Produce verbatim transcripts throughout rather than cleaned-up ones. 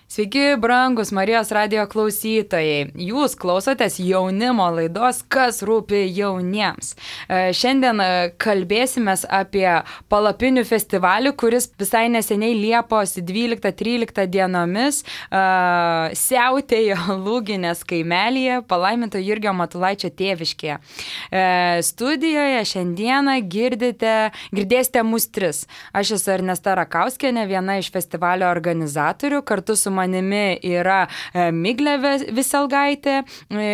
Sveiki, brangus Marijos radijo klausytojai. Jūs klausotės jaunimo laidos Kas rūpi jauniems. Šiandien kalbėsime apie palapinių festivalį, kuris visai neseniai Liepos dvyliktą tryliktą dienomis uh, siautėjo Lūginės kaimelyje, palaiminto Jurgio Matulaičio tėviškėje. Uh, studijoje šiandieną girdite, girdėsite mus tris. Aš esu Ernesta Rakauskienė, viena iš festivalio organizatorių. Kartu su manimi yra Miglė Viselgaitė,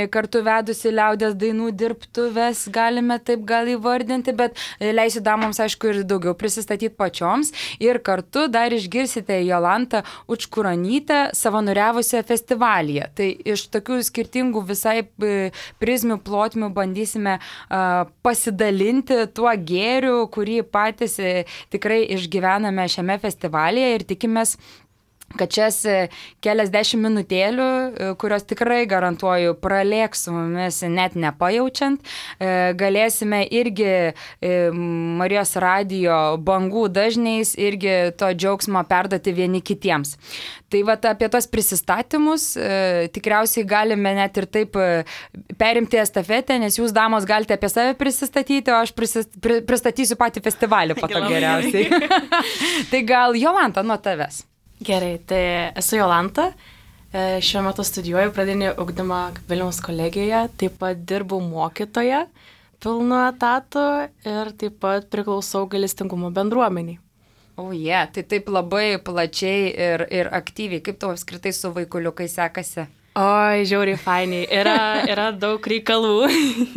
kartu vedusi liaudies dainų dirbtuves, galime taip gal įvardinti, bet leisiu damoms, aišku, ir daugiau prisistatyti pačioms. Ir kartu dar išgirsite Jolantą Učkuronytę savanoriavusią festivalyje. Tai iš tokių skirtingų visai prizmių, plotmių bandysime uh, pasidalinti tuo gėriu, kurį patys tikrai išgyvename šiame festivalyje ir tikimės, kad šias keliasdešimt minutėlių, kurios tikrai garantuoju pralėks su mumis net nepajaučiant, galėsime irgi Marijos radijo bangų dažniais irgi to džiaugsmo perduoti vieni kitiems. Tai vat apie tos prisistatymus tikriausiai galime net ir taip perimti estafetę, nes jūs, damos, galite apie save prisistatyti, o aš prisist, pri, pristatysiu patį festivalį po to geriausiai. Tai gal Jolanta nuo tavęs. Gerai, tai esu Jolanta, šiuo metu studijuoju pradinį ugdymą Vilniaus kolegijoje, taip pat dirbu mokytoja pilnu etatu ir taip pat priklausau gailestingumo bendruomeniai. O, oh, yeah, tai taip labai plačiai ir, ir aktyviai. Kaip tau apskritai su vaikuliukai sekasi? Oi, žiauriai fainiai. Yra, yra daug reikalų.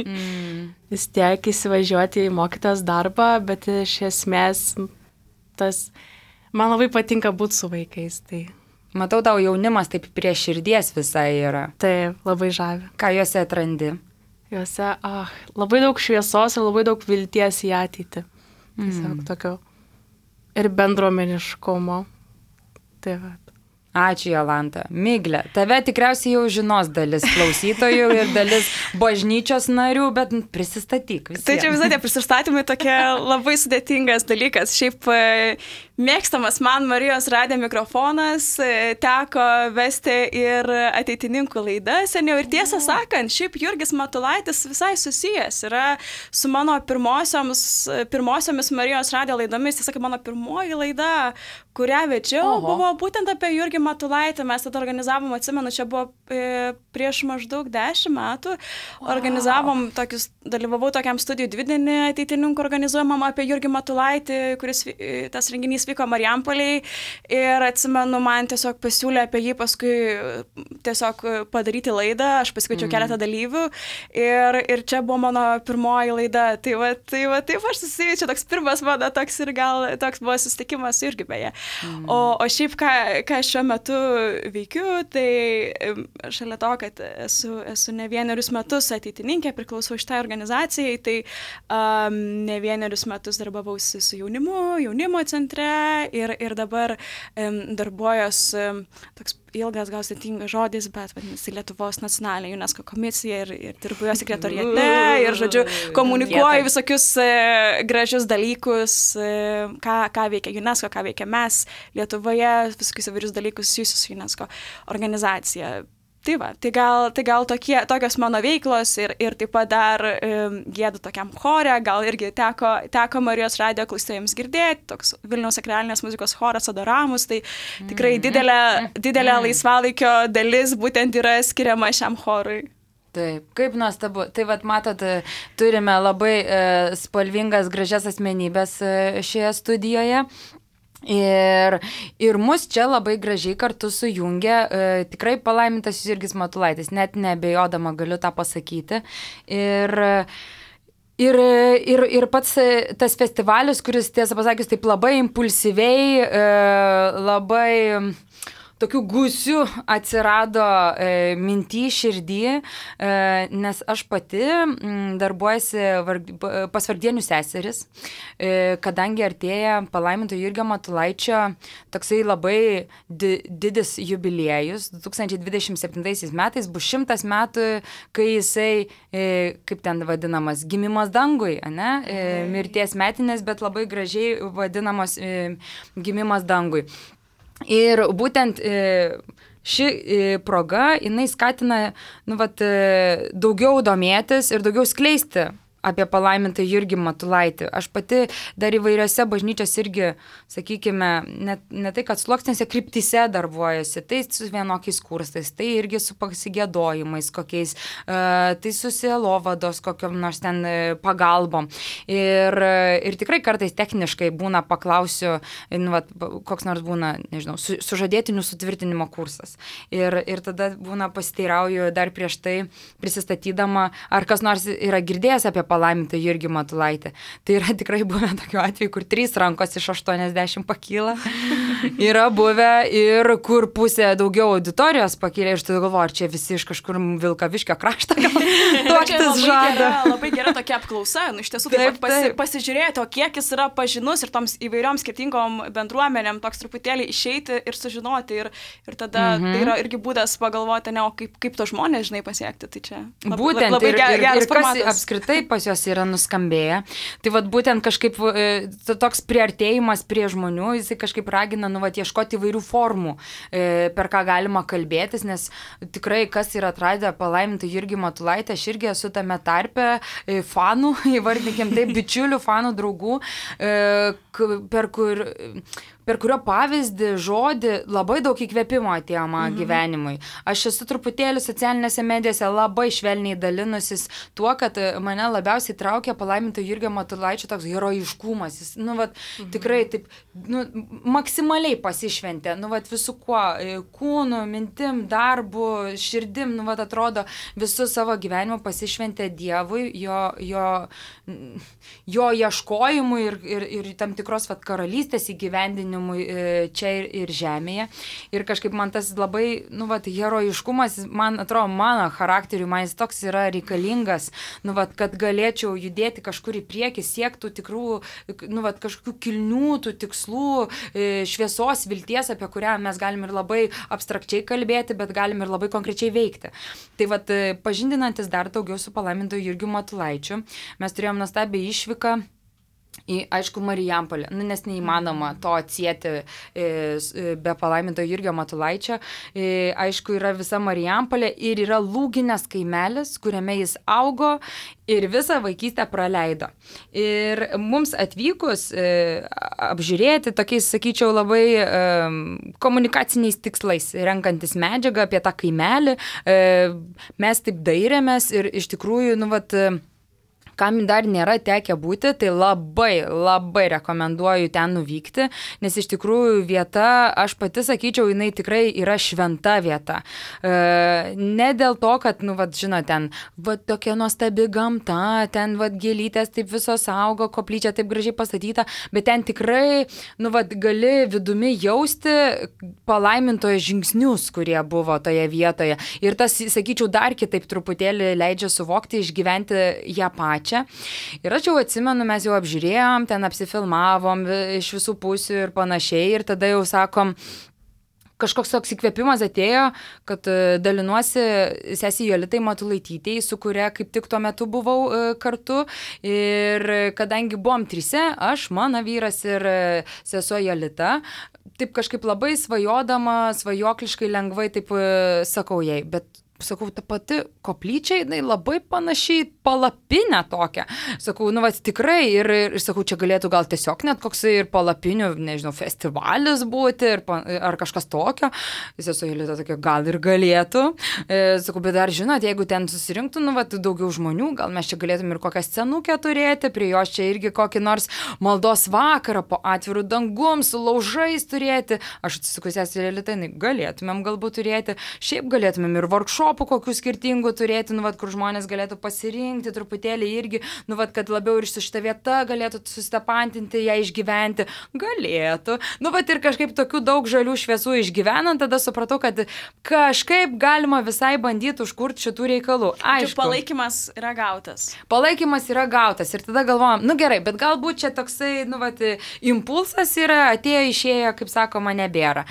Mm. Vis tiek įsivažiuoti į mokytojos darbą, bet iš esmės tas... Man labai patinka būti su vaikais. Tai... Matau, tau jaunimas taip prie širdies visai yra. Taip, labai žavi. Ką juose atrandi? Juose, ah, labai daug šviesos ir labai daug vilties į ateitį. Tiesiog mm. tokio ir bendruomeniškumo. Tai va. Ačiū, Jolanta. Miglė, tave tikriausiai jau žinos dalis klausytojų ir dalis bažnyčios narių, bet prisistatyk visiems. Tai čia visai tie prisistatymai tokie labai sudėtingas dalykas. Šiaip mėgstamas man Marijos radijo mikrofonas, teko vesti ir ateitininkų laidas seniau. Ir tiesą sakant, šiaip Jurgis Matulaitis visai susijęs yra su mano pirmosiomis, pirmosiomis Marijos radijo laidomis. Tiesa, mano pirmoji laida, kurią vedžiau, Oho. buvo būtent apie Jurgį Matulaitį. Mes tada organizavom, atsimenu, čia buvo e, prieš maždaug dešimt metų. Wow. Organizavom tokius, dalyvavau tokiam studijų dvidienį ateitininkų organizuojamam apie Jurgį Matulaitį, kuris e, tas renginys vyko Marijampolėj. Ir atsimenu, man tiesiog pasiūlė apie jį paskui tiesiog padaryti laidą. Aš pasikviečiau mm. keletą dalyvių. Ir, ir čia buvo mano pirmoji laida. Tai va, tai va, taip aš susijau, čia toks pirmas mano, toks ir gal toks buvo susitikimas irgi beje. Mm. O, o šiaip, ką, ką šiuo metu veikiu, tai šalia to, kad esu, esu ne vienerius metus ateitininkė, priklausau šitai organizacijai, tai um, ne vienerius metus darbavausi su jaunimu, jaunimo centre ir, ir dabar um, darbuojos um, toks ilgas, gal sėtingas žodis, bet vadinasi Lietuvos nacionalinė UNESCO komisija ir, ir dirbu jo sekretoriate ir, žodžiu, komunikuoju visokius e, gražius dalykus, e, ką, ką veikia UNESCO, ką veikia mes Lietuvoje, visokius įvairius dalykus susijusius su UNESCO organizacija. Tai va, tai gal, tai gal tokie, tokios mano veiklos ir, ir taip pat dar um, gėdu tokiam chore, gal irgi teko, teko Marijos radijo klausytojams girdėti, toks Vilniaus sakralinės muzikos choras Adoramus, tai tikrai didelė, didelė laisvalaikio dalis būtent yra skiriama šiam chorui. Taip, kaip nuostabu. Tai vat matot, turime labai e, spalvingas, gražias asmenybės e, šioje studijoje. Ir, ir mus čia labai gražiai kartu sujungia e, tikrai palaimintas Jurgis Matulaitis, net neabejodama galiu tą pasakyti. Ir, ir, ir, ir pats tas festivalis, kuris, tiesą pasakius, taip labai impulsyviai, e, labai... tokių gūsių atsirado e, minty, širdį, e, nes aš pati m, darbuojasi varg, pas vargdienių seseris, e, kadangi artėja palaiminto Jurgio Matulaičio toksai labai di, didis jubiliejus. du tūkstančiai dvidešimt septintaisiais metais bus šimtas metų, kai jisai, e, kaip ten vadinamas, gimimas dangui, ane? E, mirties metinės, bet labai gražiai vadinamas e, gimimas dangui. Ir būtent ši proga, jinai skatina, nu, vat, daugiau domėtis ir daugiau skleisti apie palaimintą Jurgį Matulaitį. Aš pati dar įvairiose bažnyčios irgi, sakykime, net, ne tai, kad sluoksnėse kryptyse darbuojasi, tai su vienokiais kursais, tai irgi su pasigėdojimais kokiais, tai su sielovados kokiam nors ten pagalbom. Ir, ir tikrai kartais techniškai būna, paklausiu, nu, vat, koks nors būna, nežinau, su, sužadėtinių sutvirtinimo kursas. Ir, ir tada būna pasiteirauju dar prieš tai prisistatydama, ar kas nors yra girdėjęs apie palaimintą Jurgį Matulaitį. Tai yra tikrai buvę tokių atvejų, kur trys rankos iš aštuoniasdešimt pakyla. Yra buvę ir kur pusė daugiau auditorijos pakyla. Ir tada galvoju, ar čia visi iš kažkur Vilkaviškio krašto gal tuoktis žada. Gera, labai gera tokia apklausa. Nu, iš tiesų, taip, taip, pasi, taip. pasižiūrėti, o kiek jis yra pažinus ir toms įvairioms skirtingom bendruomenėm, toks truputėlį išeiti ir sužinoti. Ir, ir tada mhm. tai yra irgi būdas pagalvoti, ne, o kaip, kaip to žmonės, žinai, pasiekti. Tai čia labai, būtent, labai ir, geras ir, ir kas formatas. Apskritai pas jos yra nuskambėję. Tai vat būtent kažkaip toks priartėjimas prie žmonių, jisai kažkaip ragina, nu, vat, ieškoti įvairių formų, per ką galima kalbėtis, nes tikrai, kas yra atradę palaimintą Jurgį Matulaitį, aš irgi esu tame tarpe fanų, įvardykim taip, bičiulių, fanų, draugų, per kur... per kurio pavyzdį, žodį labai daug įkvėpimo atėjo mano mhm. gyvenimui. Aš esu truputėlį socialinėse medijose labai švelniai dalinusis tuo, kad mane labiausiai traukia palaiminto Jurgio Matulaičio toks herojiškumas. Jis, nu, vat, mhm. tikrai taip, nu, maksimaliai pasišventė, nu, vat, visų kuo, kūnu, mintim, darbu, širdim, nu, vat, atrodo, visų savo gyvenimo pasišventė Dievui, jo, jo, jo ieškojimui ir, ir, ir tam tikros, vat, karalystės įgyvendinimui čia ir, ir žemėje. Ir kažkaip man tas labai, nu, vat, herojiškumas, man atrodo, mano charakteriui, man jis toks yra reikalingas, nu, vat, kad galėčiau judėti kažkur į priekį, siektų tikrų, nu, vat, kažkokių kilnių, tų tikslų, šviesos, vilties, apie kurią mes galim ir labai abstrakčiai kalbėti, bet galim ir labai konkrečiai veikti. Tai vat, pažindinantis dar daugiau su palaimintu Jurgiu Matulaičiu, mes turėjom nuostabią išvyką į, aišku, Marijampolę, nu, nes neįmanoma to atsieti e, be palaiminto Jurgio Matulaičio. E, aišku, yra visa Marijampolė ir yra Lūginės kaimelis, kuriame jis augo ir visą vaikystę praleido. Ir mums atvykus e, apžiūrėti tokiais, sakyčiau, labai e, komunikaciniais tikslais, renkantis medžiagą apie tą kaimelį, e, mes taip dairėmės ir iš tikrųjų, nu, vat, kam dar nėra tekę būti, tai labai, labai rekomenduoju ten nuvykti, nes iš tikrųjų vieta, aš pati sakyčiau, jinai tikrai yra šventa vieta. E, ne dėl to, kad, nu, vat, žinot, ten, vat, tokia nuostabi gamta, ten, vat, gėlytės taip visos augo, koplyčia taip gražiai pastatyta, bet ten tikrai, nu, vat, gali vidumi jausti palaimintojo žingsnius, kurie buvo toje vietoje. Ir tas, sakyčiau, dar kitaip truputėlį leidžia suvokti, išgyventi ją pačią. Ir aš jau atsimenu, mes jau apžiūrėjom, ten apsifilmavom iš visų pusių ir panašiai, ir tada jau sakom, kažkoks toks įkvėpimas atėjo, kad dalinuosi sesijai Jolitai Matulaitytei, su kuria kaip tik tuo metu buvau kartu. Ir kadangi buvom trise, aš, mano vyras ir sesuo Jolita, taip kažkaip labai svajodama, svajokliškai lengvai taip sakau jai, bet sakau, ta pati koplyčia, jinai labai panašiai palapinę tokią. Sakau, nu, va, tikrai, ir, ir sakau, čia galėtų gal tiesiog net koks ir palapinių, nežinau, festivalis būti, ir, ar kažkas tokio. Jis esu Jolita tokia, gal ir galėtų. E, sakau, bet dar žinot, jeigu ten susirinktų, nu, va, daugiau žmonių, gal mes čia galėtum ir kokią scenukę turėti, prie jos čia irgi kokį nors maldos vakarą po atvirų dangum, su laužais turėti. Aš atsisakau, sesė Jolita, galėtumėm galbūt turėti, šiaip galėtumėm ir workshop kokių skirtingų turėti, nu, vat, kur žmonės galėtų pasirinkti truputėlį irgi, nu, vat, kad labiau ir su šita vieta galėtų susitapantinti, ją išgyventi. Galėtų. Nu, vat, ir kažkaip tokių daug žalių šviesų išgyvenant, tada supratau, kad kažkaip galima visai bandyti užkurti šitų reikalų. Aišku. Palaikymas yra gautas. Palaikymas yra gautas. Ir tada galvojam, nu gerai, bet galbūt čia toksai, nu, vat, impulsas yra, atėjo, išėjo, kaip sakoma, nebėra.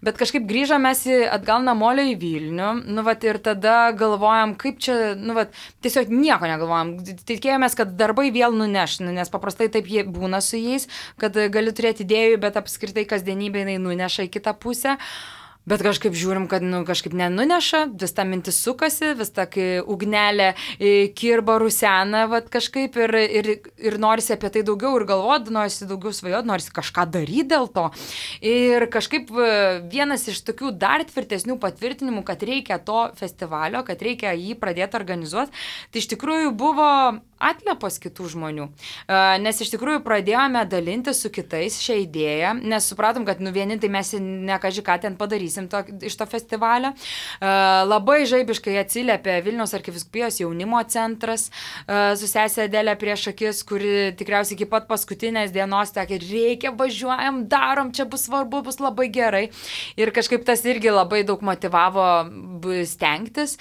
Bet kažkaip grįžome mes atgal namolio į Vilnių, nu, vat, ir tada galvojam, kaip čia, nu, vat, tiesiog nieko negalvojam. Tikėjomės, kad darbai vėl nuneš, nu, nes paprastai taip jie būna su jais, kad gali turėti idėjų, bet apskritai kasdienybė jinai nuneša į kitą pusę. Bet kažkaip žiūrim, kad nu, kažkaip nenuneša, vis ta mintis sukasi, vis ta ugnelė kirba rusena, vat kažkaip ir, ir, ir norisi apie tai daugiau ir galvoti, norisi daugiau svajoti, norisi kažką daryti dėl to. Ir kažkaip vienas iš tokių dar tvirtesnių patvirtinimų, kad reikia to festivalio, kad reikia jį pradėti organizuoti, tai iš tikrųjų buvo atliepos kitų žmonių. Nes iš tikrųjų pradėjome dalinti su kitais šią idėją, nes supratom, kad nu vieni tai mes nekaži ką ten padarysim to, iš to festivalio. Labai žaibiškai atsiliepė Vilniaus arkivyskupijos jaunimo centras su sesė Adelė prieš akis, kuri tikriausiai iki pat paskutinės dienos sakė, reikia, važiuojam, darom, čia bus svarbu, bus labai gerai. Ir kažkaip tas irgi labai daug motyvavo stengtis.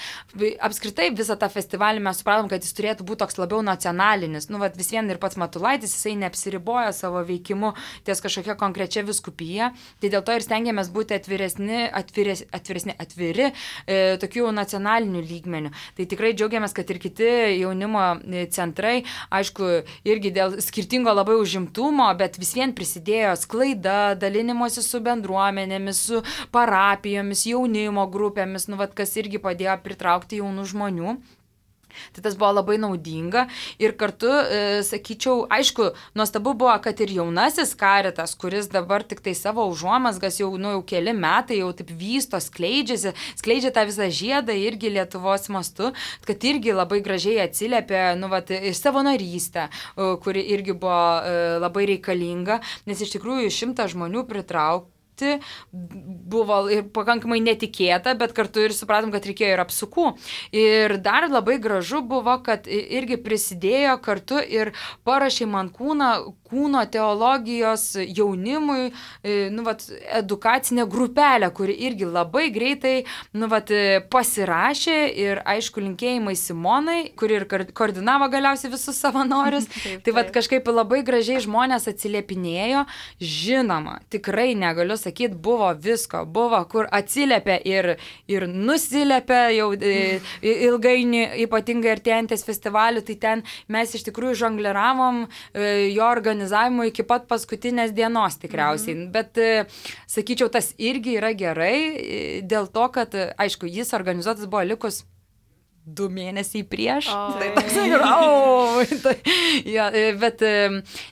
Apskritai visą tą festivalį mes supratom, kad jis turėtų būti toks labiau nacionalinis. Nu, vat, vis vien ir pats Matulaitis, jisai neapsiribojo savo veikimu ties kažkokia konkrečia vyskupija. Tai dėl to ir stengiamės būti atviresni, atvires, atviresni, atviri e, tokių nacionalinių lygmenių. Tai tikrai džiaugiamės, kad ir kiti jaunimo centrai, aišku, irgi dėl skirtingo labai užimtumo, bet vis vien prisidėjo sklaida, dalinimuose su bendruomenėmis, su parapijomis, jaunimo grupėmis, nu, vat, kas irgi padėjo pritraukti jaunų žmonių. Tai tas buvo labai naudinga ir kartu, e, sakyčiau, aišku, nuostabu buvo, kad ir jaunasis Karitas, kuris dabar tik tai savo užuomasgas jau, nu, jau keli metai jau taip vysto, skleidžiasi, skleidžia tą visą žiedą irgi Lietuvos mastu, kad irgi labai gražiai atsiliepė, nu, vat, ir savanorystę, kuri irgi buvo e, labai reikalinga, nes iš tikrųjų šimtą žmonių pritraukti buvo ir pakankamai netikėta, bet kartu ir supratom, kad reikėjo ir apsukų. Ir dar labai gražu buvo, kad irgi prisidėjo kartu ir parašė man kūną, kūno teologijos jaunimui, nu, vat, edukacinę grupelę, kuri irgi labai greitai, nu, vat, pasirašė ir, aišku, linkėjimai Simonai, kuri ir koordinavo galiausiai visus savanorius. Taip, tai vat, kažkaip labai gražiai žmonės atsiliepinėjo. Žinoma, tikrai negaliu sakyti, buvo visko, buvo, kur atsiliepia ir, ir nusilepia jau ilgainiui, ypatingai artėjantis festivalių, tai ten mes iš tikrųjų žongliravom jo organizavimu iki pat paskutinės dienos tikriausiai. Mhm. Bet, sakyčiau, tas irgi yra gerai, dėl to, kad, aišku, jis organizuotas buvo likus du mėnesiai prieš. Oh. Tai toks, oh, tai, ja, bet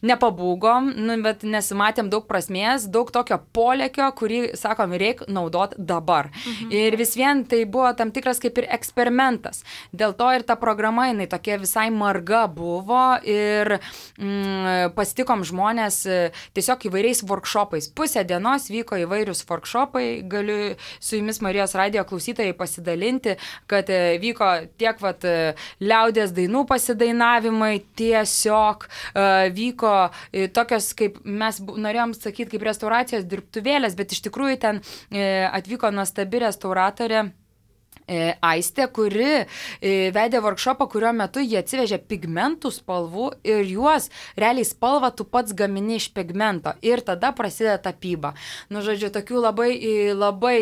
nepabūgom, nu, bet nesimatėm daug prasmės, daug tokio polėkio, kurį, sakom, reikia naudoti dabar. Mhm. Ir vis vien tai buvo tam tikras kaip ir eksperimentas. Dėl to ir ta programa, jinai tokia visai marga buvo ir mm, pasitikom žmonės tiesiog įvairiais workshopais. Pusę dienos vyko įvairius workshopai, galiu su jumis Marijos radijo klausytojai pasidalinti, kad vyko tiek vat, liaudės dainų pasidainavimai, tiesiog uh, vyko uh, tokios, kaip mes norėjom sakyti, kaip restauracijos dirbtuvėlės, bet iš tikrųjų ten uh, atvyko nuostabi restauratorė Aistė, kuri vedė workshopą, kurio metu jie atsivežė pigmentų spalvų ir juos realiai spalvą tu pats gamini iš pigmento ir tada prasideda tapyba. Nu, žodžiu, tokių labai, labai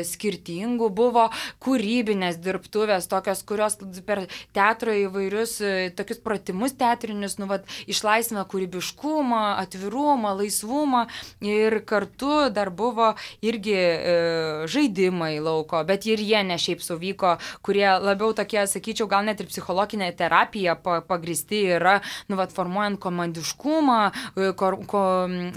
skirtingų buvo kūrybinės dirbtuvės, tokios, kurios per teatro įvairius tokius pratimus teatrinius, nu, vat, išlaisvina kūrybiškumą, atvirumą, laisvumą ir kartu dar buvo irgi e, žaidimai lauko, bet ir jie ne šiaip suvyko, kurie labiau tokie, sakyčiau, gal net ir psichologinė terapija pagristi yra, nu, vat, formuojant komandiškumą, ko, ko,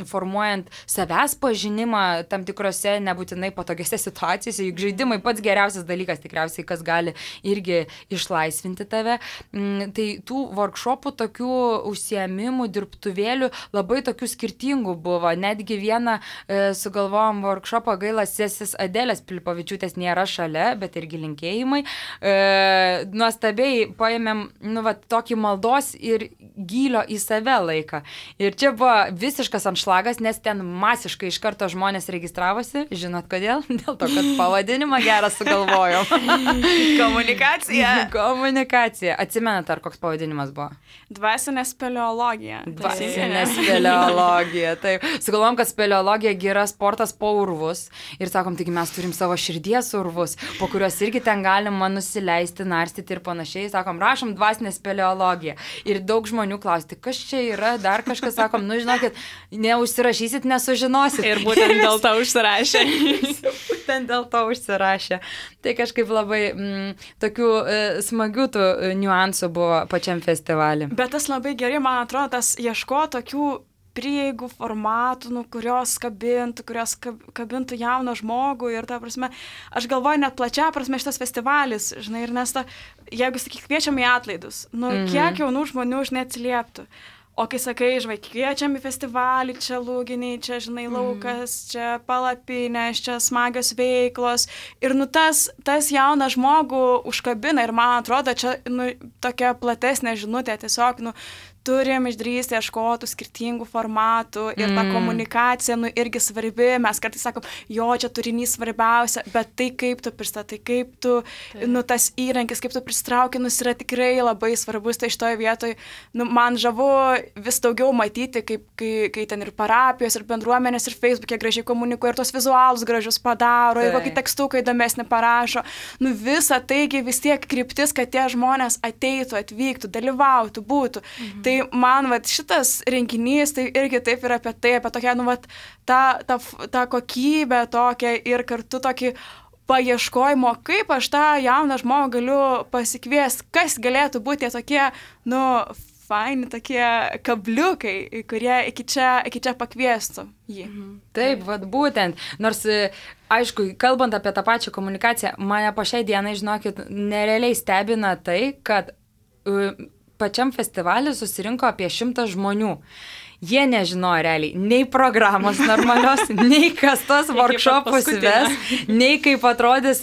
formuojant savęs pažinimą tam tikrose nebūtinai patogiose situacijose, juk žaidimai pats geriausias dalykas tikriausiai, kas gali irgi išlaisvinti tave. Tai tų workshopų, tokių užsiėmimų, dirbtuvėlių labai tokių skirtingų buvo. Netgi vieną e, sugalvojom workshopą, gaila, sesės Adelės Pilipavičiūtės nėra šalia, bet irgi linkėjimai. E, nuostabiai paėmėm, nu, va, tokį maldos ir gylio į save laiką. Ir čia buvo visiškas anšlagas, nes ten masiškai iš karto žmonės registravosi. Žinot kodėl? Dėl to, kad pavadinimą gerą sugalvojom. Komunikacija. Komunikacija. Atsimenat, ar koks pavadinimas buvo? Dvasinė speleologija. Dvasinė speleologija. Taip. Sugalvojom, kad speleologija yra sportas po urvus. Ir sakom, taigi mes turim savo širdies urvus, po kuriuos irgi ten galima nusileisti, narstyti ir panašiai. Sakom, rašom dvasinę speleologiją. Ir daug žmonių klausti, kas čia yra, dar kažkas sakom, nu žinokit, neužsirašysit, nesužinosit. Ir būtent dėl to užsirašė. Būtent dėl to užsirašė. Tai kažkaip labai mm, tokių e, smagių tų niuansų buvo pačiam festivalį. Bet tas labai gerai, man atrodo, tas ieško tokių prieigų formatų, nu, kurios kabintų, kurios kabintų jauną žmogų ir ta prasme, aš galvoju net plačia prasme šitas festivalis, žinai, ir nes ta, jeigu, sakyk, kviečiam į atlaidus, nu, mhm. kiek jaunų žmonių už neatsilieptų. O kai sakai, žinai, kviečiam į festivalį, čia lūginiai, čia, žinai, laukas, mm. čia palapinės, čia smagios veiklos. Ir, nu, tas, tas jauną žmogų užkabina ir, man atrodo, čia, nu, tokia platesnė žinutė, tiesiog, nu, turim išdrįsti ieškoti skirtingų formatų ir ta komunikacija, nu, irgi svarbi. Mes kartais sakom, jo, čia turinys svarbiausia, bet tai, kaip tu pristatai, kaip tu, tai. nu, tas įrankis, kaip tu pristrauki, nu, yra tikrai labai svarbus. Tai šitoje vietoje, nu, man žavu vis daugiau matyti, kaip, kai, kai ten ir parapijos, ir bendruomenės, ir Facebook'e gražiai komunikuoja, ir tos vizualus gražius padaro, tai. ir kokį tekstuką įdomesnį parašo. Nu, visa taigi vis tiek kryptis, kad tie žmonės ateitų, atvyktų, dalyvautų, būtų. Mhm. Tai man, vat, šitas renginys, tai irgi taip yra apie tai, apie tokią, nu, vat, tą, tą, tą kokybę tokią ir kartu tokį paieškojimo, kaip aš tą jauną žmogų galiu pasikviesti, kas galėtų būti tie tokie, nu, faini tokie kabliukai, kurie iki čia, iki čia pakviestų jį. Mhm. Taip, vat būtent. Nors, aišku, kalbant apie tą pačią komunikaciją, mane po šiai dienai, žinokit, nerealiai stebina tai, kad uh, pačiam festivalį susirinko apie šimtą žmonių. Jie nežinojo realiai nei programos normalios, nei kas tos workshopus ves, nei kaip atrodys,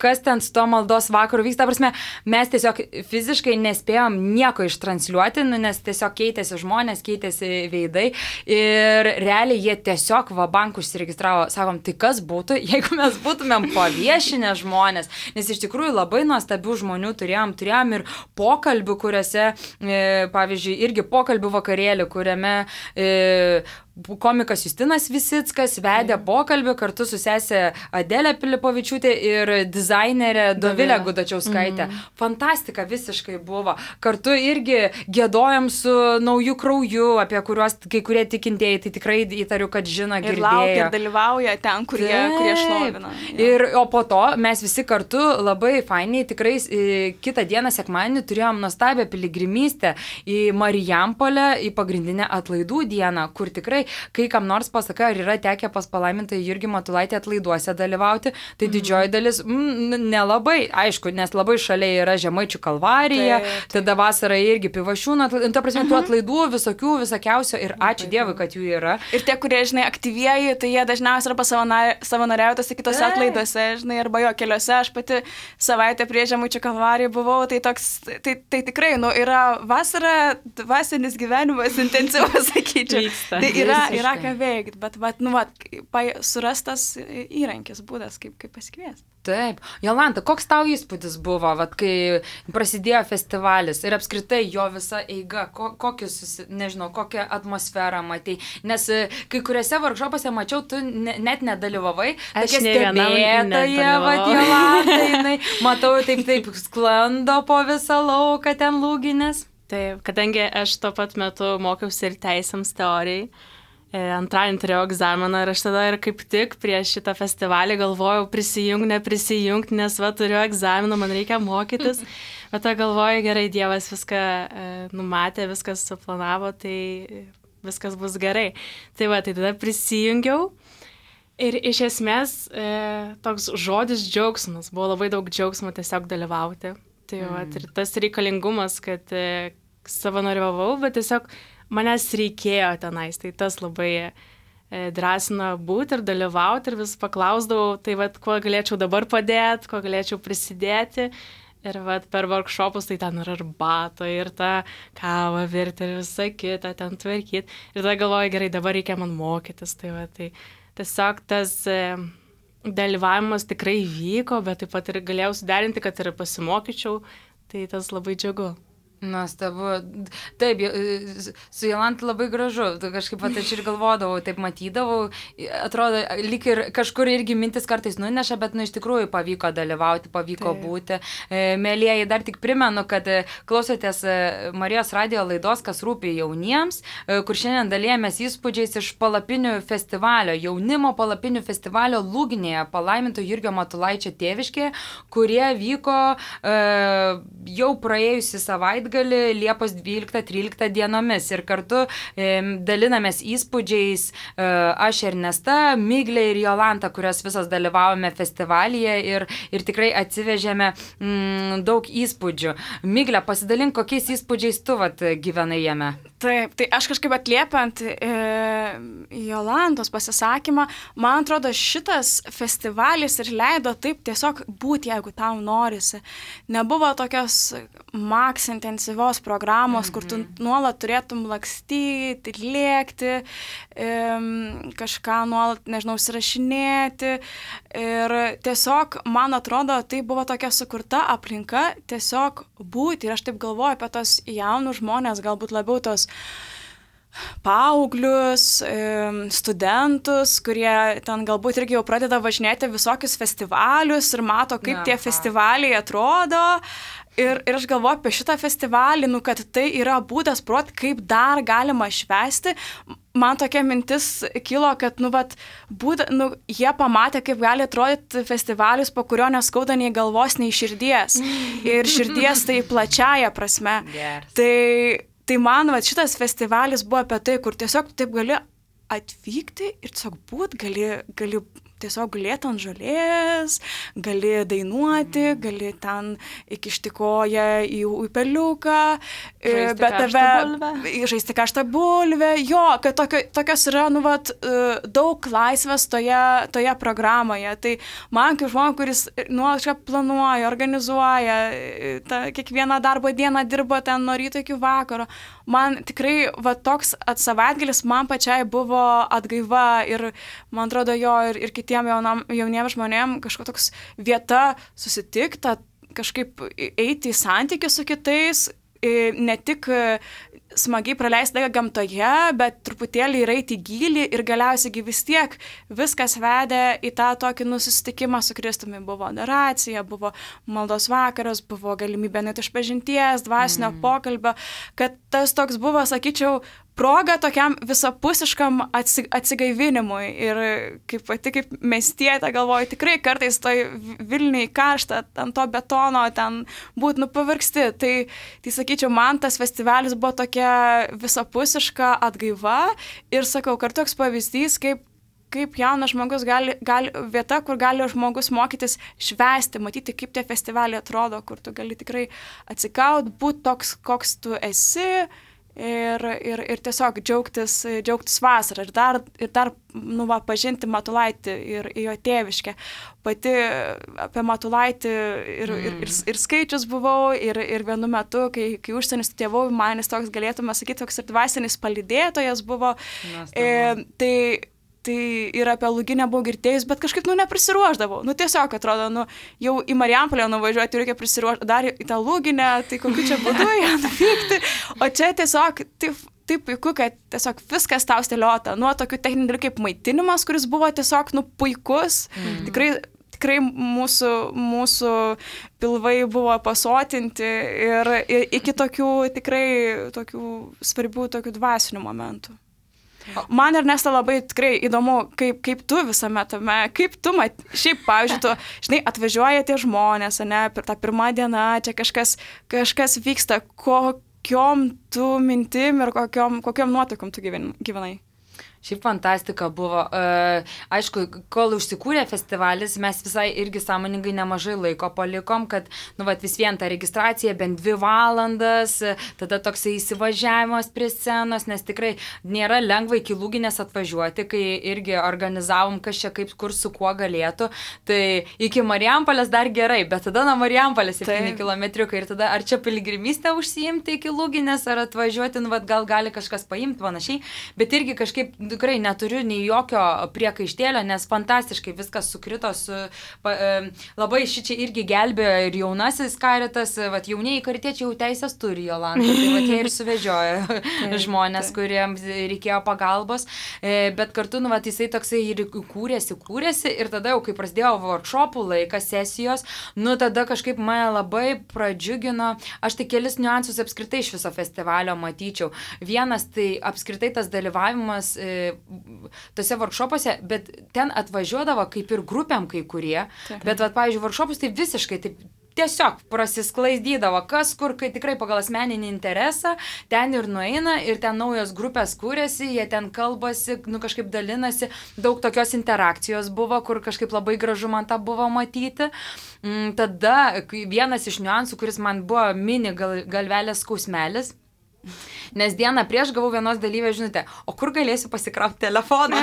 kas ten su to maldos vakaru vyksta. Prasme, mes tiesiog fiziškai nespėjom nieko ištransliuoti, nu, nes tiesiog keitėsi žmonės, keitėsi veidai ir realiai jie tiesiog vabank užsiregistravo. Sakom, tai kas būtų, jeigu mes būtumėm paviešinę žmonės, nes iš tikrųjų labai nuostabių žmonių turėjom, turėjom ir pokalbių, kuriuose, e, pavyzdžiui, irgi pokalbių vakarėlį, kuriame E, komikas Justinas Visickas vedė pokalbį kartu su sesė Adelė Pilipovičiūtė ir dizainerė Dovilė Gudačiauskaitė. Mm. Fantastika visiškai buvo. Kartu irgi giedojom su Nauju krauju, apie kuriuos kai kurie tikintieji, tai tikrai įtariu, kad žino, girdėjo. Ir laukia, ir dalyvauja ten, kurie, kurie šlovina. Ir, o po to mes visi kartu labai fainiai, tikrai kitą dieną sekmadienį turėjom nuostabią piligrimystę į Marijampolę, į pagrindinę atlaidų dieną, kur tikrai kai kam nors pasakai, ar yra tekę pas palaimintą Jurgį Matulaitį atlaiduose dalyvauti, tai mm. didžioji dalis mm, nelabai, aišku, nes labai šalia yra Žemaičių kalvarija, tai, tai. tada vasarą irgi Pivašiūnų atlaidų, ta prasme, tų atlaidų visokių, visokiausio ir ačiū tai. Dievui, kad jų yra. Ir tie, kurie, žinai, aktyvieji, tai jie dažniausiai arba savanoriauja tose kitose tai. atlaiduose, žinai, arba jo keliuose. Aš pati savaitę prie Žemaičių kalvariją buvau, tai toks, tai, tai tikrai, nu, yra vasara, dvasinis gyvenimas intensyvus, sakyčiau. Vyksta. Tai yra yra ką veikti, bet, bet nu, vat, surastas įrankis, būdas, kaip, kaip pasikviesti. Taip. Jolanta, koks tau įspūdis buvo, vat, kai prasidėjo festivalis ir apskritai jo visa eiga, ko, kokius, nežinau, kokią atmosferą matei, nes kai kuriuose workshopuose mačiau, tu ne, net nedalyvavai, tokia stebėtoja, vat, Jolanta, jinai, matau, taip, taip, sklando po visą lauką ten lūginės. Taip, kadangi aš tuo pat metu mokiausi ir teisėms teorijai, antradienį turėjau egzaminą ir aš tada ir kaip tik prieš šitą festivalį galvojau prisijung, neprisijungt, nes va turiu egzaminą, man reikia mokytis, bet tą galvoju, gerai, Dievas viską e, numatė, viskas suplanavo, tai viskas bus gerai. Tai va, tai tada prisijungiau ir iš esmės e, toks žodis džiaugsmas, buvo labai daug džiaugsmo tiesiog dalyvauti. Tai va, ir tas reikalingumas, kad e, savanoriavau, bet tiesiog manęs reikėjo tenais, tai tas labai e, drąsina būti ir dalyvauti ir vis paklausdavau, tai vat, kuo galėčiau dabar padėti, kuo galėčiau prisidėti. Ir vat, per workshopus tai ten ir arbato, ir tą kavą virti, ir visą kitą ten tvarkyti. Ir tada galvoju, gerai, dabar reikia man mokytis. Tai, vat, tai tiesiog tas e, dalyvavimas tikrai vyko, bet taip pat ir galėjau suderinti, kad ir pasimokyčiau, tai tas labai džiugu. Nuostabu. Taip, su Jolanta labai gražu. Kažkaip pat aš ir galvodavau, taip matydavau. Atrodo, lyg ir kažkur irgi mintis kartais nuneša, bet nu iš tikrųjų pavyko dalyvauti, pavyko taip. Būti. Mėlieji, dar tik primenu, kad klausotės Marijos radijo laidos, kas rūpi jauniems, kur šiandien dalijamės įspūdžiais iš palapinių festivalio, jaunimo palapinių festivalio Lūginėje, palaiminto Jurgio Matulaičio tėviškėje, kurie vyko e, jau praėjusi savaitę gali Liepos dvyliktą tryliktą dienomis ir kartu e, dalinamės įspūdžiais e, aš Ernesta, Miglė ir Jolanta, kurios visos dalyvavome festivalyje ir, ir tikrai atsivežėme mm, daug įspūdžių. Miglė, pasidalink, kokiais įspūdžiais tu vat, gyvenai jame? Taip, tai aš kažkaip atliepiant e, Jolantos pasisakymą, man atrodo, šitas festivalis ir leido taip tiesiog būti, jeigu tau norisi. Nebuvo tokios maks intensyvios programos, mm-hmm. kur tu nuolat turėtum lakstyti, lėkti, e, kažką nuolat, nežinau, užsirašinėti. Ir tiesiog, man atrodo, tai buvo tokia sukurta aplinka tiesiog būti. Ir aš taip galvoju apie tos jaunus žmonės, galbūt labiau tos paauglius, studentus, kurie ten galbūt irgi jau pradeda važinėti visokius festivalius ir mato, kaip Aha. tie festivaliai atrodo. Ir, ir aš galvoju apie šitą festivalį, nu, kad tai yra būdas prot, kaip dar galima švęsti. Man tokia mintis kilo, kad nu, vat, būda, nu, jie pamatė, kaip gali atrodyti festivalis, po kurio neskauda nei galvos, nei širdies. Ir širdies tai plačiaja prasme. Yes. Tai, tai man vat, šitas festivalis buvo apie tai, kur tiesiog taip gali atvykti ir tiesiog būt, gali, gali tiesiog gulėti ant žolės, gali dainuoti, gali ten įkišti koją į upeliuką, žaisti bet karštą tave, žaisti karštą bulvę, jo, kad tokio, tokios yra, nu, vat, daug laisvės toje, toje programoje. Tai man kaip žmogui, kuris nuolat kažką planuoja, organizuoja, ta, kiekvieną darbo dieną dirba ten nuo ryto iki vakaro, man tikrai va, toks savaitgalis man pačiai buvo atgaiva ir man atrodo jo ir, ir kitiem jaunam, jauniems žmonėm kažkokia toks vieta susitikti, kažkaip eiti į santykį su kitais, ne tik smagiai praleisti laiką gamtoje, bet truputėlį ir eiti į gylį ir galiausiai vis tiek viskas vedė į tą tokį nusitikimą su Kristumi. Buvo adoracija, buvo maldos vakaras, buvo galimybė net išpažinties, dvasinio mm. pokalbio, kad tas toks buvo, sakyčiau, proga tokiam visapusiškam atsigaivinimui ir kaip pati kaip miestietė galvoju, tikrai kartais toj Vilniui karšta, ant to betono, ten būt nu pavargsti. Tai, tai sakyčiau, man tas festivalis buvo tokia visapusiška atgaiva ir sakau, kartu toks pavyzdys, kaip kaip jaunas žmogus gali, gali, vieta, kur gali žmogus mokytis švęsti, matyti, kaip tie festivaliai atrodo, kur tu gali tikrai atsikaut, būti toks, koks tu esi. Ir, ir, ir tiesiog džiaugtis, džiaugtis vasarą ir dar, ir dar nu, va, pažinti Matulaitį ir jo tėviškę. Pati apie Matulaitį ir, mm. ir, ir, ir skaičius buvau ir, ir vienu metu, kai, kai užsienį studijavau, manis toks galėtume sakyti, toks ir dvasinis palydėtojas buvo. E, tai Tai ir apie Lūginę buvau girdėjus, bet kažkaip, nu, neprisiruošdavau. Nu, tiesiog atrodo, nu, jau į Marijampolę nuvažiuoti reikia prisiruošti, dar į tą Lūginę, tai kokiu čia būdu ją nuvykti. O čia tiesiog taip, taip puiku, kad tiesiog viskas tau stėliota. Nuo tokių techninių dalykų kaip maitinimas, kuris buvo tiesiog, nu, puikus. Mm. Tikrai, tikrai mūsų, mūsų pilvai buvo pasotinti ir, ir iki tokių tikrai tokių svarbių tokių dvasinių momentų. Man Ernesta labai tikrai įdomu, kaip, kaip tu visame tame, kaip tu, mat, šiaip, pavyzdžiui, tu, žinai, atvažiuoja tie žmonės, ne, per tą pirmą dieną, čia kažkas, kažkas vyksta, kokiom tu mintim ir kokiom, kokiom nuotaikom tu gyvenai. Šiaip fantastika buvo. Uh, aišku, kol užsikūrė festivalis, mes visai irgi sąmoningai nemažai laiko palikom, kad nu, vat, vis vien ta registracija bent dvi valandas, tada toksai įsivažiavimas prie scenos, nes tikrai nėra lengva iki Lūginės atvažiuoti, kai irgi organizavom, kas čia kaip, kur su kuo galėtų. Tai iki Marijampolės dar gerai, bet tada nuo Marijampolės septyni kilometriukai ir tada ar čia piligrimystę užsiimti iki Lūginės, ar atvažiuoti, nu, vat, gal gali kažkas paimti panašiai, bet irgi kažkaip tikrai neturiu nei jokio priekaištėlio, nes fantastiškai viskas sukrito su... Pa, labai šičia irgi gelbėjo ir jaunasis karitas, vat jauniai karitiečiai jau teisės turi Jolanta, tai vat jie ir suvežiojo žmonės, kuriems reikėjo pagalbos, bet kartu, nu, vat jisai toksai ir kūrėsi, kūrėsi ir tada jau, kai prasidėjo workshopų laikas, sesijos, nu, tada kažkaip mane labai pradžiugino, aš tai kelis niuansus apskritai iš viso festivalio matyčiau. Vienas tai apskritai tas dalyvavimas e, tose workshopuose, bet ten atvažiuodavo kaip ir grupėm kai kurie, taip. Bet, vat, pavyzdžiui, workshopus tai visiškai taip tiesiog prasisklaidydavo, kas kur, kai tikrai pagal asmeninį interesą, ten ir nueina, ir ten naujos grupės kūrėsi, jie ten kalbasi, nu kažkaip dalinasi, daug tokios interakcijos buvo, kur kažkaip labai gražu man tą buvo matyti. Tada vienas iš niuansų, kuris man buvo mini gal, galvelės skausmelis, nes dieną prieš gavau vienos dalyvės žinutę, o kur galėsiu pasikrauti telefoną?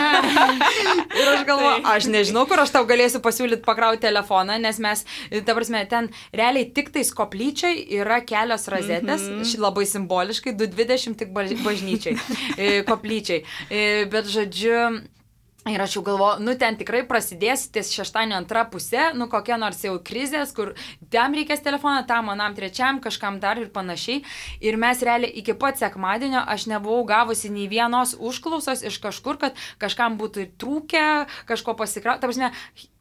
Ir aš galvoju, aš nežinau, kur aš tau galėsiu pasiūlyti pakrauti telefoną, nes mes, ta prasme, ten realiai tik tais koplyčiai yra kelios rozetės, mm-hmm. labai simboliškai, du dvidešimt tik bažnyčiai, koplyčiai. Bet žodžiu... Ir aš jau galvoju, nu ten tikrai prasidės ties šeštadienio antra pusė, nu kokia nors jau krizės, kur tam reikės telefoną, tam manam trečiam, kažkam dar ir panašiai. Ir mes realiai iki pat sekmadienio aš nebuvau gavusi nei vienos užklausos iš kažkur, kad kažkam būtų trūkę, kažko pasikrauti. Ta prasme,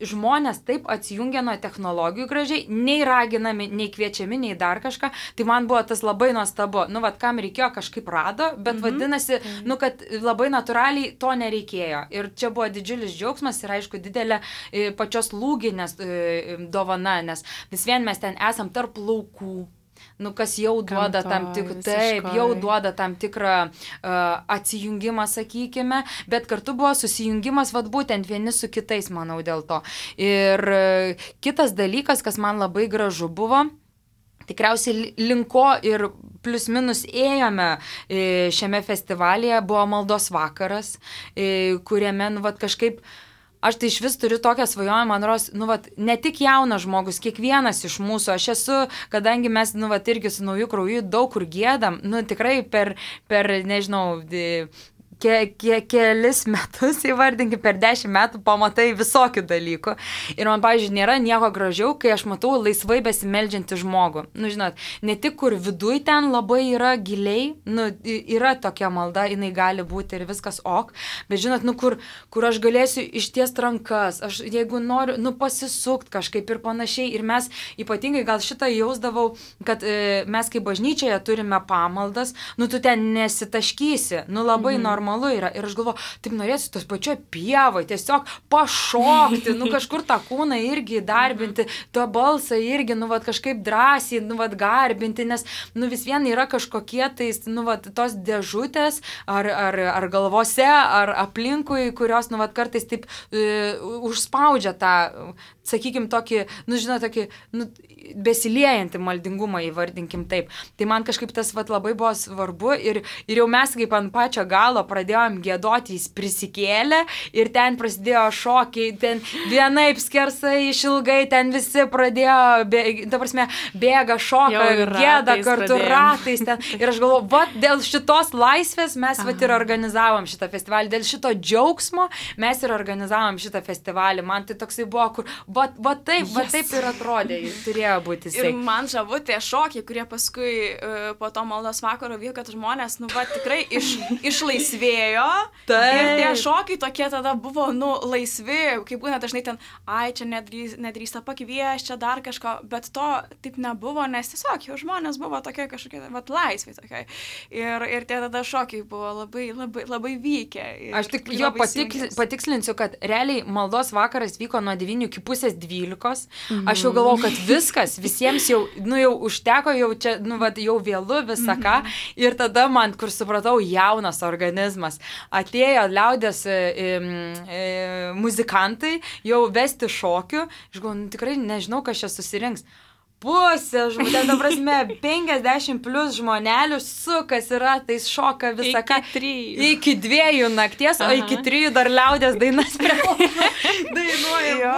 žmonės taip atsijungia nuo technologijų gražiai, nei raginami, nei kviečiami, nei dar kažką. Tai man buvo tas labai nuostabu. Nu, vat kam reikėjo, kažkaip rado, bet mm-hmm. vadinasi, mm-hmm. nu, kad labai natūraliai to nereikėjo. Ir čia buvo didžiulis džiaugsmas ir aišku didelė e, pačios lūginės e, dovana, nes vis vien mes ten esam tarp laukų. Nu, kas jau duoda Gamtoj, tam tikrą, taip, jau duoda tam tikrą uh, atsijungimą, sakykime, bet kartu buvo susijungimas, vat būtent vieni su kitais, manau, dėl to. Ir uh, kitas dalykas, kas man labai gražu buvo, tikriausiai linko ir plius minus ėjome šiame festivalyje, buvo maldos vakaras, kuriame, nu, vat, kažkaip, aš tai iš vis turiu tokią svajonę, man ros, nu, vat, ne tik jaunas žmogus, kiekvienas iš mūsų, aš esu, kadangi mes, nu, vat, irgi su nauju krauju daug kur gėdam, nu, tikrai per, per nežinau, Ke, ke, kelis metus, įvardinkim, per dešimt metų pamatai visokių dalykų. Ir man, pavyzdžiui, nėra nieko gražiau, kai aš matau laisvai besimeldžiantį žmogų. Nu, žinot, ne tik kur viduj ten labai yra giliai, nu, yra tokia malda, jinai gali būti ir viskas ok, bet žinot, nu, kur, kur aš galėsiu ištiest rankas, aš jeigu noriu, nu, pasisukt kažkaip ir panašiai. Ir mes ypatingai gal šitą jausdavau, kad e, mes kaip bažnyčioje turime pamaldas, nu, tu ten nesitaškysi, nu, labai mhm. normalu yra. Ir aš galvoju, taip norėsiu tos pačioj pievoj, tiesiog pašokti, nu kažkur tą kūną irgi darbinti, tą balsą irgi, nu vat kažkaip drąsiai, nu vat garbinti, nes, nu vis vien yra kažkokie tais, nu vat tos dėžutės, ar, ar, ar galvose, ar aplinkui, kurios, nu vat kartais taip uh, užspaudžia tą, sakykim, tokį, nu žinot, tokį, nu, besiliejantį maldingumą, įvardinkim taip. Tai man kažkaip tas vat labai buvo svarbu ir, ir jau mes kaip ant pačio galo pradėjom giedoti, jis prisikėlė ir ten prasidėjo šokiai, ten vienaip skersai, išilgai, ten visi pradėjo, bė, ta prasme, bėga, šoka, gėda kartu pradėjom. Ratais ten. Ir aš galvoju, va, dėl šitos laisvės mes va ir organizavom šitą festivalį, dėl šito džiaugsmo mes ir organizavom šitą festivalį. Man tai toksai buvo, kur, va, va taip, va taip ir atrodė, turėjo būti jisai. Ir man žavu tie šokiai, kurie paskui uh, po to maldos vakaro vyko, kad žmonės, nu, va, tikrai iš, išlaisvėjo. Taip. Ir tie šokiai tokie tada buvo, nu, laisvi, kaip būna dažnai ten, ai, čia nedrįs, nedrįsta pakvies, čia dar kažko, bet to taip nebuvo, nes tiesiog jau žmonės buvo tokie kažkokie, va, laisvi tokie. Ir, ir tie tada šokiai buvo labai, labai, labai vykę. Aš tik jo patiksl, patikslinsiu, kad realiai maldos vakaras vyko nuo devynių iki pusės dvylikos. Mm. Aš jau galvojau, kad viskas, visiems jau, nu, jau užteko, jau čia, nu, va, jau vėlu visą ką. Mm-hmm. Ir tada man, kur supratau, jaunas organizmas. Atėjo liaudės e, e, muzikantai jau vesti šokių. Aš galvoju, nu, tikrai nežinau, kas čia susirinks. pusė žmonių, ten, ta prasme, penkiasdešimt plus žmonelių sukasi ratais, šoka visą ką. Iki trijų. Iki dviejų nakties, Aha. o iki trijų dar liaudės dainas prie dainuoja.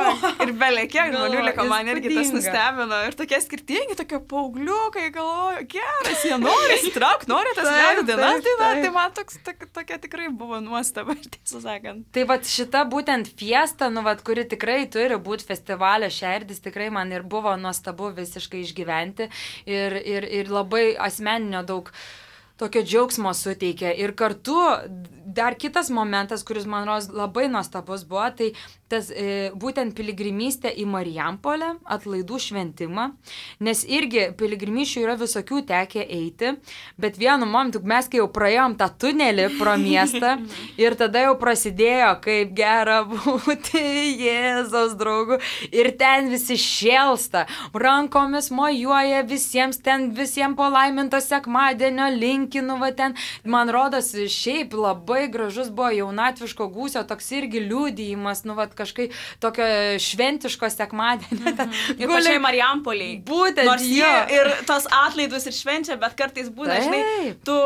Ir belė, kiek žmonių liko, man irgi tas nustebino. Ir tokie skirtingi, tokie paaugliukai, galvoju, geras, jie nori įsitraukti, nori tas liaudės dainas dainuoti. Tai man toks, tokia, tokia tikrai buvo nuostaba, tiesą sakant. Tai vat šita būtent fiesta, nu vat, kuri tikrai turi būti festivalio šerdis, tikrai man ir buvo nuostabu visi išgyventi ir, ir, ir labai asmeninio daug tokio džiaugsmo suteikia. Ir kartu dar kitas momentas, kuris man rodos labai nuostabus buvo, tai tas e, būtent piligrimystė į Marijampolę, atlaidų šventimą, nes irgi piligrimysčių yra visokių tekę eiti, bet vienu momentu mes kai jau praėjom tą tunelį pro miestą ir tada jau prasidėjo, kaip gera būti Jėzaus draugu ir ten visi šėlsta, rankomis mojuoja visiems, ten visiems palaiminto sekmadienio linkinu, va ten, man rodos, šiaip labai gražus buvo jaunatviško gūsio, toks irgi liudijimas, nu va, kažkai tokio šventiško sekmadienio. Ir pačiai Marijampoliai. Būtent. Nors jie ir tos atlaidus ir švenčia, bet kartais būna, žinai, tu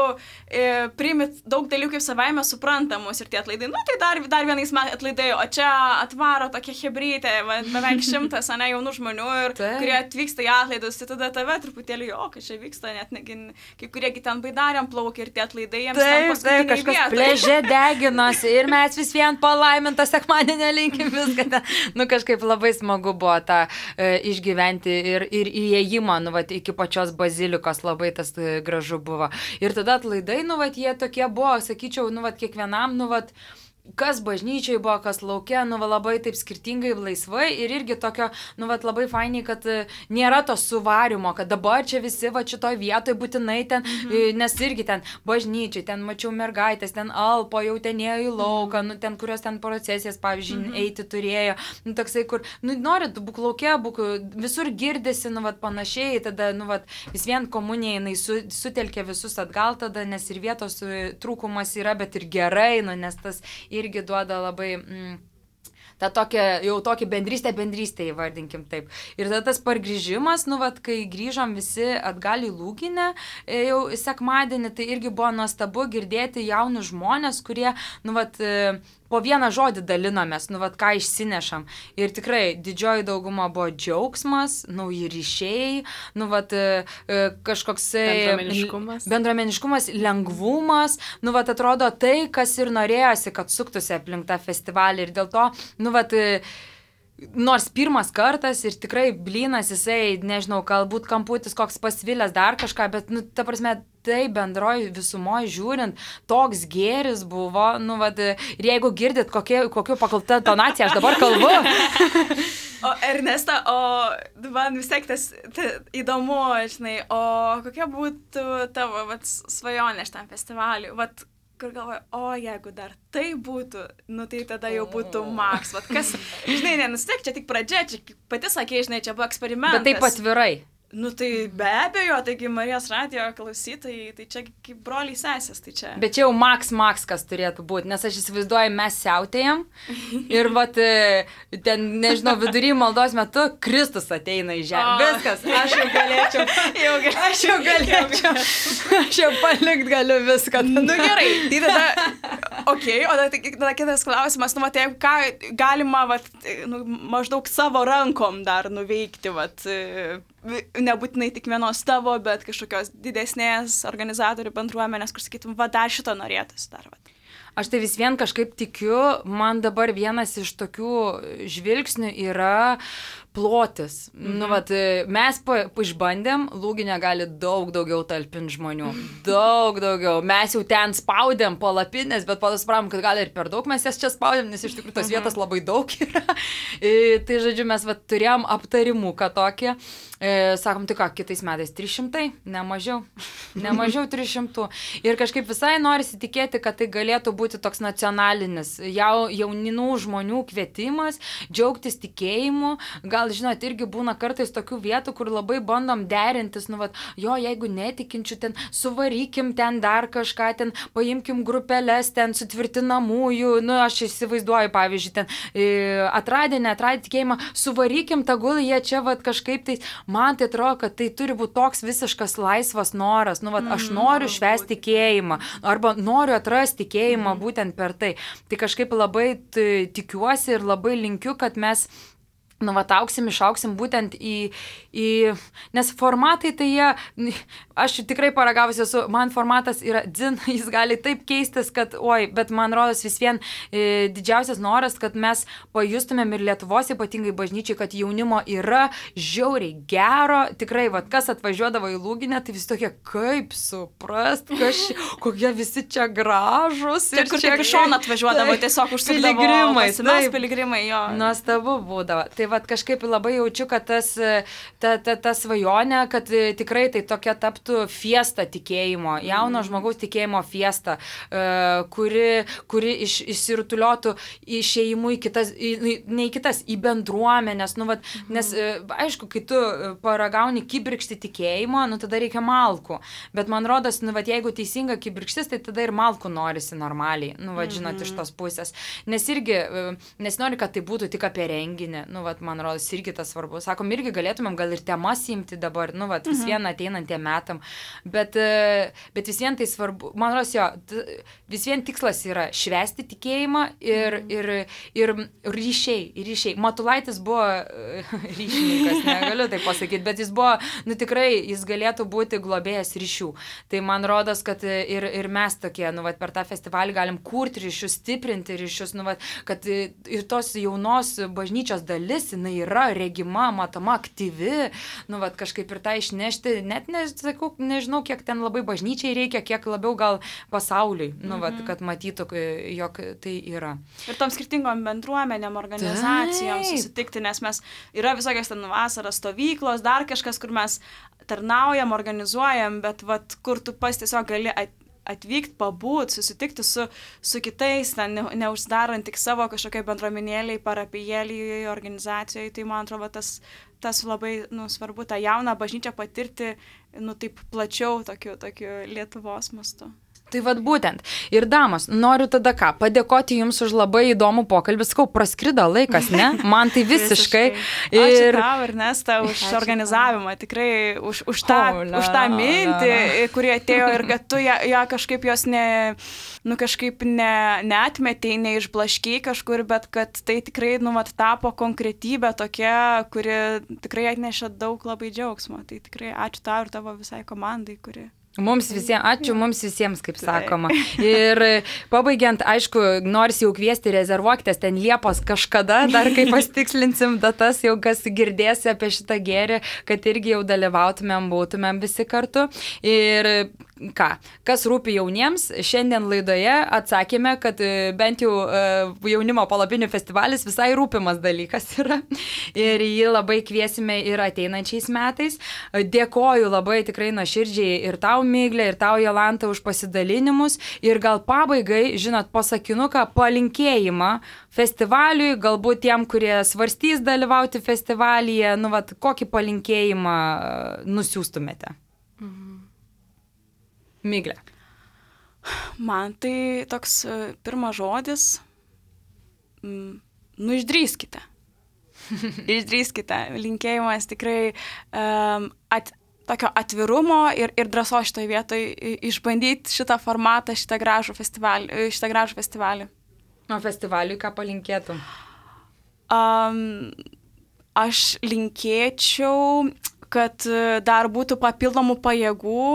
e, priimi daug dalykų kaip savaime suprantamus ir tie atlaidai, nu tai dar, dar vienais metais atlaidai, o čia atvaro tokia hebrytė, beveik šimtas, ane, jaunų žmonių, ir, kurie atvyksta į atlaidus, tai tada tave truputėlį, o, kai čia vyksta, net negi, kai kuriegi ten baidariam plaukia ir tie atlaidai jiems taip, ten paskutiniai taip, kažkas pležė deginosi ir mes vis vien palaiminto sekmadienio linkim viską. Ten. Nu, kažkaip labai smagu buvo tą e, išgyventi ir, ir įėjimą, nu, vat, iki pačios bazilikos labai tas e, gražu buvo. Ir tada atlaidai, nu, vat, jie tokie buvo, sakyčiau, nu, vat, kiekvienam, nu, vat, kas bažnyčiai buvo, kas laukia, nu, va, labai taip skirtingai, laisvai ir irgi tokio, nu, va, labai fainiai, kad nėra to suvarimo, kad dabar čia visi, va, šitoj vietoj būtinai ten, mhm. nes irgi ten bažnyčiai, ten mačiau mergaitės, ten alpo, jau ten ėjo į lauką, nu, ten, kurios ten procesijas, pavyzdžiui, mhm. eiti turėjo, nu, toksai, kur, nu, norit, būk laukia, būk, visur girdisi, nu, va, panašiai, tada, nu, va, vis vien komunija, jinai su, sutelkia visus atgal tada, nes ir vietos trūkumas yra, bet ir gerai, nu, nes tas irgi duoda labai mm, tą tokią, jau tokį bendrystę, bendrystę įvardinkim taip. Ir tada tas pargrįžimas, nu, vat, kai grįžom visi atgal į Lūginę, jau sekmadienį, tai irgi buvo nuostabu girdėti jaunus žmonės, kurie, nu, vat, po vieną žodį dalinomės, nu, vat, ką išsinešam. Ir tikrai didžioji dauguma buvo džiaugsmas, nauji ryšiai, nu, vat, kažkoksai bendruomeniškumas. bendruomeniškumas, lengvumas, nu, vat, atrodo tai, kas ir norėjosi, kad suktųsi aplink tą festivalį. Ir dėl to, nu, vat, nors pirmas kartas ir tikrai blynas, jisai, nežinau, galbūt kamputis koks pasvilęs dar kažką, bet, nu, ta prasme, tai bendroji visumoje žiūrint, toks gėris buvo, nu, vad, ir jeigu girdit, kokie, kokiu pakalta tonacija aš dabar kalbu. O Ernesta, o man vis tiek tas ta, įdomu, žinai, o kokia būtų tavo, vat, svajonė šitam festivaliui, vat, kur galvoju, o jeigu dar tai būtų, nu tai tada jau būtų maks, vat, kas, žinai, nenustek, čia tik pradžia, čia pati sakė, žinai, čia buvo eksperimentas. Bet taip atvirai. Nu tai be abejo, taigi Marijos radijo klausytojai, tai čia kaip broliai sesės, tai čia. Bet čia jau maks maks kas turėtų būti, nes aš įsivaizduoju, mes siautėjam ir vat, ten, nežinau, vidury maldos metu Kristus ateina į žemę. Viskas, aš jau galėčiau, jau galėčiau, aš jau galėčiau, aš jau palikt galiu viską. Nu gerai, tai tada, okei, okay, o tada, tada kitas klausimas, nu vat, ką galima, vat, nu, maždaug savo rankom dar nuveikti, vat, nebūtinai tik vienos tavo, bet kažkokios didesnės organizatorių bendruomenės, kur sakytum, va, dar šito norėtųsi dar. Va. Aš tai vis vien kažkaip tikiu, man dabar vienas iš tokių žvilgsnių yra plotis. Mhm. Nu, vat, mes pa, išbandėm, Lūginė gali daug daugiau talpinti žmonių. Daug daugiau. Mes jau ten spaudėm palapinės, bet po to supratom, kad gali ir per daug mes jas čia spaudėm, nes iš tikrųjų tos mhm. vietos labai daug yra. E, tai, žodžiu, mes vat, turėjom aptarimuką tokį. E, sakom, tai ką, kitais metais trys šimtai, ne mažiau. Ne mažiau trys šimtų. Ir kažkaip visai norisi tikėti, kad tai galėtų būti toks nacionalinis jau, jauninų žmonių kvietimas, džiaugtis tikėjimu, gal gal, žinot, irgi būna kartais tokių vietų, kur labai bandom derintis, nu, vat, jo, jeigu netikinčių, ten suvarykim ten dar kažką, ten paimkim grupelės, ten sutvirtinamųjų, nu, aš įsivaizduoju, pavyzdžiui, ten atradė, netradė tikėjimą, suvarykim, tegul jie čia, vat, kažkaip tai, man tai atrodo, kad tai turi būti toks visiškas laisvas noras, nu, vat, aš noriu švęsti tikėjimą, arba noriu atrasti tikėjimą būtent per tai. Tai kažkaip labai tikiuosi ir labai linkiu, kad mes nu, vat, auksim, išauksim būtent į, į, nes formatai tai jie, aš tikrai paragavusi esu, man formatas yra dzin, jis gali taip keistis, kad, oi, bet man rodos vis vien e, didžiausias noras, kad mes pajustumėm ir Lietuvos ypatingai bažnyčiai, kad jaunimo yra žiauriai gero, tikrai, vat, kas atvažiuodavo į Lūginę, tai vis tokie, kaip suprast, kas, kokie visi čia gražus. Taip, kur čia iš šono atvažiuodavo, tai, tiesiog užsukdavo. Piligrimai, taip, piligrimai, jo. Nuostabu būdavo. Tai vat kažkaip labai jaučiu, kad tas, ta, ta, ta svajonė, kad tikrai tai tokia taptų fiesta tikėjimo, jauno žmogaus tikėjimo fiesta, kuri, kuri iš, išsirutuliotų išėjimų į kitas, į, ne į kitas, į bendruomenės, nu, vat, nes aišku, kai tu paragauni kibirkštį tikėjimo, nu tada reikia malkų, bet man rodos, nu, vat, jeigu teisinga kibirkštis, tai tada ir malkų norisi normaliai, nu, vat, žinot, iš tos pusės, nes irgi, nes nori, kad tai būtų tik apie renginį, nu, vat, man rodos, irgi tas svarbu. Sakom, irgi galėtumėm gal ir temas imti dabar, nu, vat, vis vien ateinantiem metam, bet, bet vis vien tai svarbu. Man rodos, jo, vis vien tikslas yra švęsti tikėjimą ir, ir, ir ryšiai, ryšiai. Matulaitis buvo ryšininkas, negaliu tai pasakyti, bet jis buvo, nu, tikrai, jis galėtų būti globėjas ryšių. Tai man rodos, kad ir, ir mes tokie, nu, vat, per tą festivalį galim kurti ryšius, stiprinti ryšius, nu, vat, kad ir tos jaunos bažnyčios dalis, jinai yra regima, matoma, aktyvi, nu, vat, kažkaip ir tą išnešti, net nesakau, nežinau, kiek ten labai bažnyčiai reikia, kiek labiau gal pasauliui, nu, vat, kad matytų, jog tai yra. Ir tom skirtingom bendruomenėm, organizacijom Taip. Susitikti, nes mes yra visokios ten vasaros stovyklos, dar kažkas, kur mes tarnaujam, organizuojam, bet vat, kur tu pas tiesiog gali at, atvykti, pabūt, susitikti su, su kitais, ten, ne, neuždarant tik savo kažkokiai bendruomenėliai, parapijėliai, organizacijoje, tai man atrodo tas, tas labai nu, svarbu, tą jauną bažnyčią patirti nu, taip plačiau tokiu, tokiu Lietuvos mastu. Tai vad būtent. Ir damos, noriu tada ką, padėkoti jums už labai įdomų pokalbį. Sakau, praskrido laikas, ne? Man tai visiškai. visiškai. Ir... Ačiū tau, Ernesta, už Ačiū organizavimą, tikrai už, už, tą, oh, la, už tą mintį, la, la. Kuri atėjo ir kad tu ją, ją kažkaip jos ne, nu, kažkaip ne, neatmetei, neišblaškiai kažkur, bet kad tai tikrai nu, vat, tapo konkretybė tokia, kuri tikrai atnešė daug labai džiaugsmo. Tai tikrai ačiū tau ir tavo visai komandai, kuri... Mums visiems, ačiū mums visiems, kaip sakoma. Ir pabaigiant, aišku, nors jau kviesti, rezervuokitės ten Liepos kažkada, dar kai pasitikslinsim datas, jau kas girdėsi apie šitą gėrį, kad irgi jau dalyvautumėm, būtumėm visi kartu. Ir ką, kas rūpi jauniems, šiandien laidoje atsakėme, kad bent jau jaunimo palapinių festivalis visai rūpimas dalykas yra. Ir jį labai kviesime ir ateinančiais metais. Dėkoju labai tikrai nuoširdžiai ir tau, Miglė, ir tau, Jolanta, už pasidalinimus. Ir gal pabaigai, žinot, pasakinuką, palinkėjimą festivaliui, galbūt tiem, kurie svarstys dalyvauti festivalyje, nu, vat, kokį palinkėjimą nusiųstumėte? Mhm. Miglė. Man tai toks uh, pirmas žodis, mm, nu išdrįskite. Išdrįskite. Linkėjimas tikrai um, at, tokio atvirumo ir, ir drąsos šitoje vietoje išbandyti šitą formatą, šitą gražų festivalį. Šitą gražų festivalį. O festivaliui ką palinkėtum? Um, aš linkėčiau, kad dar būtų papildomų pajėgų,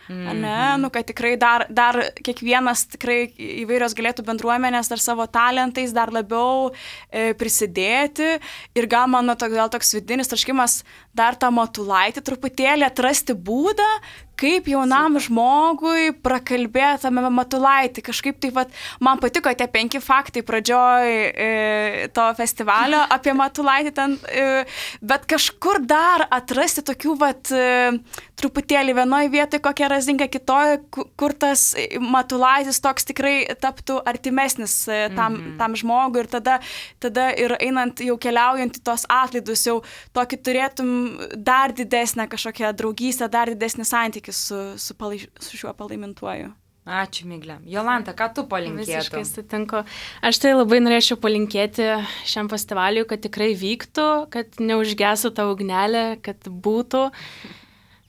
Mm-hmm. Ne, nu, kad tikrai dar, dar kiekvienas tikrai įvairios galėtų bendruomenės dar savo talentais dar labiau e, prisidėti ir gal mano to, gal toks vidinis traškimas dar tą Matulaitį truputėlį atrasti būdą, kaip jaunam žmogui prakalbėtame Matulaitį. Kažkaip tai, vat, man patiko tie penki faktai pradžioj e, to festivalio apie Matulaitį ten, e, bet kažkur dar atrasti tokių, vat, e, truputėlį vienoje vietoje kokia razinka, kitoje, kur tas Matulaitis toks tikrai taptų artimesnis e, tam, mm-hmm. tam žmogui ir tada, tada ir einant jau keliaujant į tos atlaidus, jau tokį turėtum dar didesnę kažkokią draugystę, dar didesnį santykį su, su, palai, su šiuo palaimintuoju. Ačiū, Miglė. Jolanta, ką tu palinkėtum? Visiškai sutinku. Aš tai labai norėčiau palinkėti šiam festivaliui, kad tikrai vyktų, kad neužgesų ta ugnelė, kad būtų.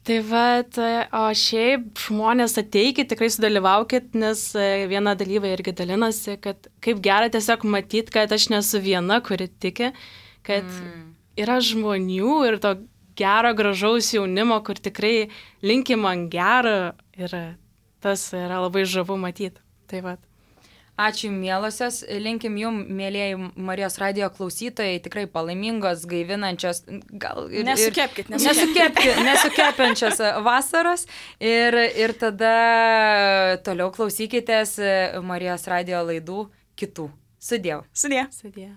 Tai vat, o šiaip žmonės ateikit, tikrai sudalyvaukit, nes viena dalyvai irgi dalinosi, kad kaip gera tiesiog matyti, kad aš nesu viena, kuri tiki, kad mm. yra žmonių ir to gero, gražaus jaunimo, kur tikrai linki man gero ir tas yra labai žavu matyti. Tai vat. Ačiū, mielosios. Linkim jum, mėlėjai Marijos radijo klausytojai, tikrai palaimingos, gaivinančios, gal ir... Nesukepkit, nesukepkit. Nesukepiančios vasaros. Ir, ir tada toliau klausykitės Marijos radijo laidų kitų. Sudiev. Sudie. Sudie.